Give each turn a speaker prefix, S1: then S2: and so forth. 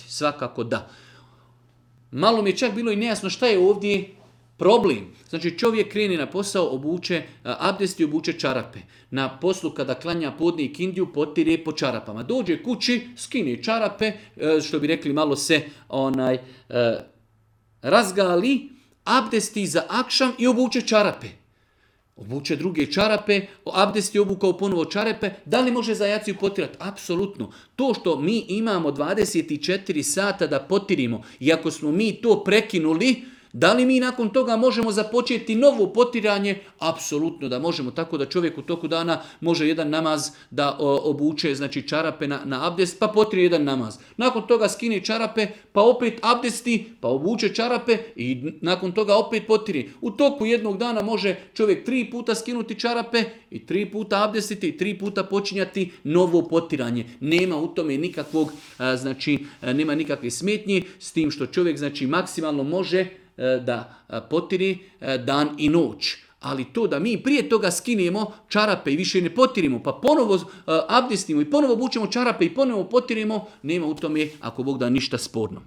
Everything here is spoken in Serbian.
S1: Svakako da. Malo mi je čak bilo i nejasno šta je ovdje problem. Znači čovjek krene na posao, obuče abdest i obuče čarape. Na poslu kada klanja podne i kindiju potire po čarapama. Dođe kući, skine čarape, što bi rekli malo se razgali, abdesti za akšam i obuče čarape. Obuče druge čarape, abdest je obukao ponovo čarape, da li može za jaciju potirati? Apsolutno. To što mi imamo 24 sata da potirimo i ako smo mi to prekinuli, da li mi nakon toga možemo započeti novo potiranje? Apsolutno da možemo, tako da čovjek u toku dana može jedan namaz da obuče, znači čarape na abdest, pa potire jedan namaz. Nakon toga skine čarape, pa opet abdesti, pa obuče čarape i nakon toga opet potire. U toku jednog dana može čovjek 3 puta skinuti čarape i 3 puta abdestiti i 3 puta počinjati novo potiranje. Nema u tome nikakvog, nema nikakve smetnje s tim što čovjek znači maksimalno može da potiri dan i noć. Ali to da mi prije toga skinemo čarape i više ne potirimo, pa ponovo abdestimo i ponovo obučemo čarape i ponovo potirimo, nema u tome, ako Bog da, ništa sporno.